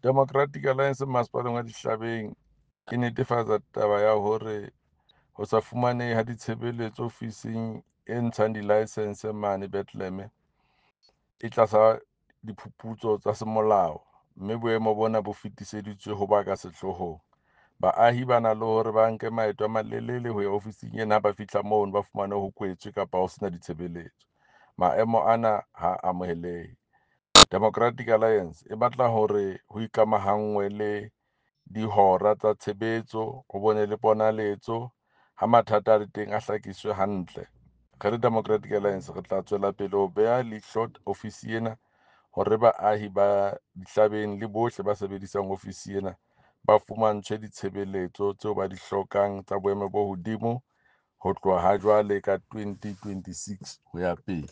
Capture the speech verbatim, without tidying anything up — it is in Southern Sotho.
Democratic Alliance masepaleng wa Dihlabeng e netefatsa taba ya hore ho sa fumanehe ha ditshebeletso ofising e ntshang di-licence mane Bethlehem e tlasa diphuputso tsa semolao, mme boemo bona bo fetiseditswe ho ba ka sehlohong. Baahi ba na le hore ba nke maeto a malelele ho ya ofising ena ha ba fihla mono, ba fumane ho kwetswe kapa ho sena ditshebeletso. Maemo ana ha amohelehe. Democratic Alliance e batla hore ho ikamahangwe le dihora tsa tshebetso, ho bone le ponaletso ha mathata a le teng, a hlakiswe hantle. Re le Democratic Alliance re tla tswela pele ho beha leihlo ofisi ena hore baahi ba Dihlabeng le bohle ba sebedisang ofisi ena ba fumantshwe ditshebeletso tseo ba di hlokang tsa boemo bo hodimo ho tloha ha jwale ka twenty twenty-six ho ya pele.